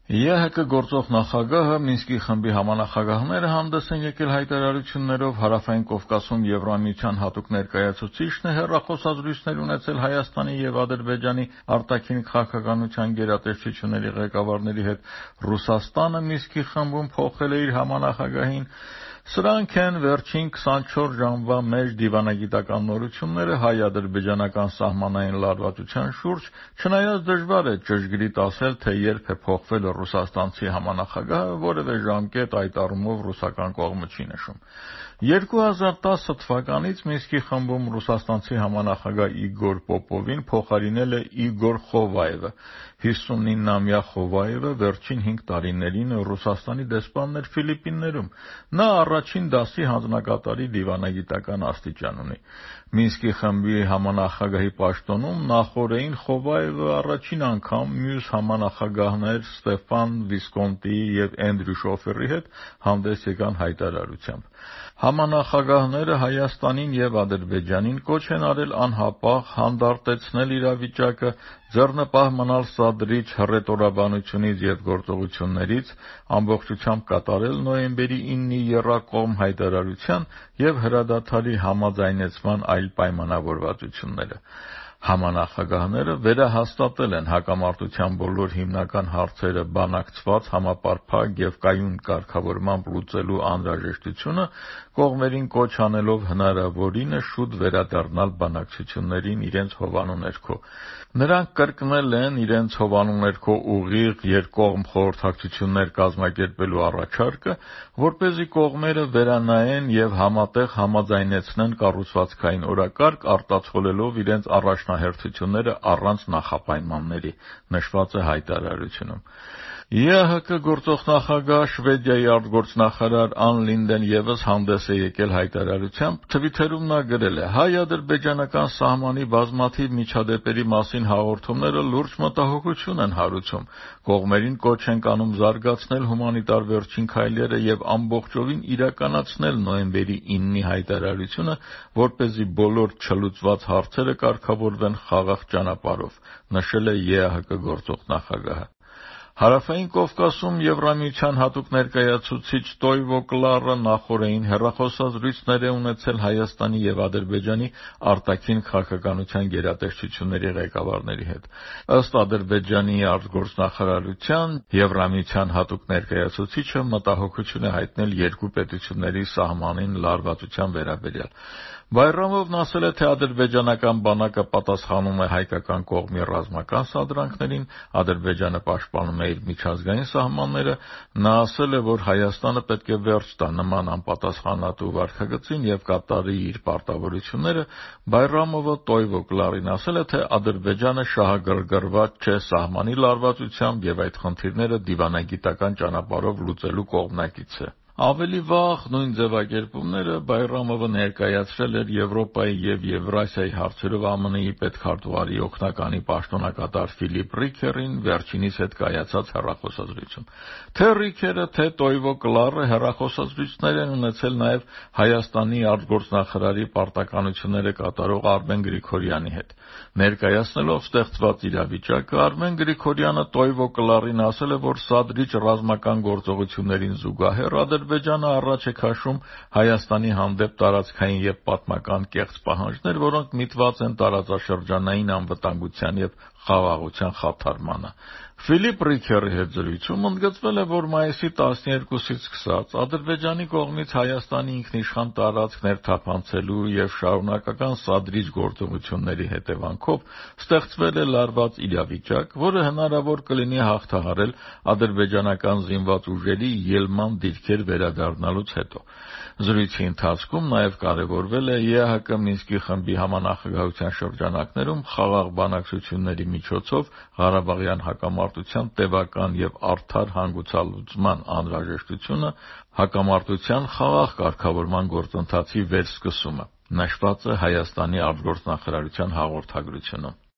ԵՀԿ գործող նախագահը Մինսկի խմբի համանախագահները հանդես են եկել հայտարարություններով, Հարավային Կովկասում Եվրամիության հատուկ ներկայացուցիչն է հեռախոսազրույցներ ունեցել Հայաստանի և Ադրբեջանի արտաքին քաղաքականության գերատեսչությունների ղեկավարների հետ, Ռուսաստանը Մինսկի խմբում փոխել է իր համանախագահին։ Սրանք են վերջին 24 ժամվա մեջ դիվանագիտական նորությունները հայ-ադրբեջանական սահմանային լարվածության շուրջ, չնայած դժվար է ճշգրիտ ասել, թե երբ է փոխվել ռուսաստանցի համանախագահը, որևէ ժամկետ այդ առումով ռուսական կողմը չի նշում։ 2010 թվականից Մինսկի խմբում ռուսաստանցի համանախագահ Իգոր Պոպովին փոխարինել է Իգոր Խովայևը։ 59-ամյա Խովայևը վերջին 5 տարիներին Ռուսաստանի դեսպանն էր Ֆիլիպիններում։ Նա առաջին դասի հանձնակատարի դիվանագիտական աստիճան ունի։ Մինսկի խմբի համանախագահի պաշտոնում նախօրեին Խովայևը առաջին անգամ մյուս համանախագահներ Ստեֆան Վիսկոնտիի և Էնդրյու Շոֆերի հետ հանդես եկան հայտարարությամբ։ Համանախագահները Հայաստանին և Ադրբեջանին կոչ են արել անհապաղ հանդարտեցնել իրավիճակը, ձեռնպահ մնալ սադրիչ հռետորաբանությունից և գործողություններից, ամբողջությամբ կատարել նոյեմբերի 9-ի եռակողմ հայտարարության և հրադադարի համաձայնեցման այլ պայմանավորվածությունները։ Համանախագահները վերահաստատել են հակամարտության բոլոր հիմնական հարցերը բանակցված, համապարփակ և կայուն կարգավորմամբ լուծելու անհրաժեշտությունը, կողմերին կոչ անելով հնարավորինս շուտ վերադառնալ բանակցություններին իրենց հովանու ներքո։ Նրանք կրկնել են իրենց հովանու ներքո ուղիղ երկկողմ խորհրդակցություններ կազմակերպելու առաջարկը, որպեսզի կողմերը վերանայեն և համատեղ համաձայնեցնեն կառուցվածքային օրակարգ, արտացոլելով իրենց առաջնահերթությունները առանց նախապայմանների, նշված է հայտարարությունում։ ԵՀԿ գործող նախագահ Շվեդիայի արտգործնախարար Ան Լինդեն ևս հանդես է եկել հայտարարությամբ, Թվիթերում նա գրել է. հայ-ադրբեջանական սահմանի բազմաթիվ միջադեպերի մասին հաղորդումները լուրջ մտահոգություն են հարուցում։ Կողմերին կոչ ենք անում զարգացնել հումանիտար վերջին քայլերը և ամբողջովին իրականացնել նոյեմբերի 9-ի հայտարարությունը, որպեսզի բոլոր չլուծված հարցերը կարգավորվեն խաղաղ ճանապարհով, նշել է ԵՀԿ գործող նախագահը։ Հարավային Կովկասում Եվրամիության հատուկ ներկայացուցիչ Տոյվո Կլարը նախօրեին հեռախոսազրույցներ է ունեցել Հայաստանի և Ադրբեջանի արտաքին քաղաքականության գերատեսչությունների ղեկավարների հետ։ Ըստ Ադրբեջանի արտգործնախարարության, Եվրամիության հատուկ ներկայացուցիչը մտահոգություն է հայտնել երկու պետությունների սահմանին լարվածության վերաբերյալ։ Բայրամովն ասել է, թե ադրբեջանական բանակը պատասխանում է հայկական կողմի ռազմական սադրանքներին, Ադրբեջանը պաշտպանում է իր միջազգային սահմանները։ Նա ասել է, որ Հայաստանը պետք է վերջ տա նման անպատասխանատու վարքագծին և կատարի իր պարտավորությունները։ Բայրամովը Տոյվո Կլարին ասել է, թե Ադրբեջանը շահագրգռված չէ սահմանի լարվածությամբ և այդ խնդիրները դիվանագիտական ճանապարհով լուծելու կողմնակից է։ Ավելի վաղ նույն ձևակերպումները Բայրամովը ներկայացրել էր Եվրոպայի և Եվրասիայի հարցերով ԱՄՆ-ի պետքարտուղարի օգնականի պաշտոնակատար Ֆիլիպ Ռիքերին վերջինիս հետ կայացած հեռախոսազրույցում։ Թե Ռիքերը, թե Տոյվո Կլարը հեռախոսազրույցներ են ունեցել նաև Հայաստանի արտգործնախարարի պարտականությունները կատարող Արմեն Գրիգորյանի հետ։ Ներկայացնելով ստեղծված իրավիճակը, Արմեն Գրիգորյանը Տոյվո Կլարին ասել է, որ սադրիչ ռազմական գործողություններին զուգահեռ Ադրբեջանը առաջ է քաշում Հայաստանի հանդեպ տարածքային և պատմական կեղծ պահանջներ, որոնք միտված են տարածաշրջանային անվտանգության և խաղաղության խաթարմանը։ Ֆիլիպ Ռիքերի հետ զրույցում ընդգծվել է, որ մայիսի 12-ից սկսած Ադրբեջանի կողմից Հայաստանի ինքնիշխան տարածք ներթափանցելու և շարունակական սադրիչ գործողությունների հետևանքով ստեղծվել է լարված իրավիճակ, որը հնարավոր կլինի հաղթահարել ադրբեջանական զինված ուժերի ելման դիրքեր վերադառնալուց հետո։ Զրույցի ընթացքում նաև կարևորվել է ԵՀԿ Մինսկի խմբի համանախագահության շրջանակներում խաղաղ բանակցությունների միջոցով Ղարաբաղյան հակամարտության տևական և արդար հանգուցալուծման անհրաժեշտությունը, հակամարտության խաղաղ կարգավորման գործընթացի վերսկսումը, նշված է Հայաստանի արտգործնախարարության հաղորդագրությունում։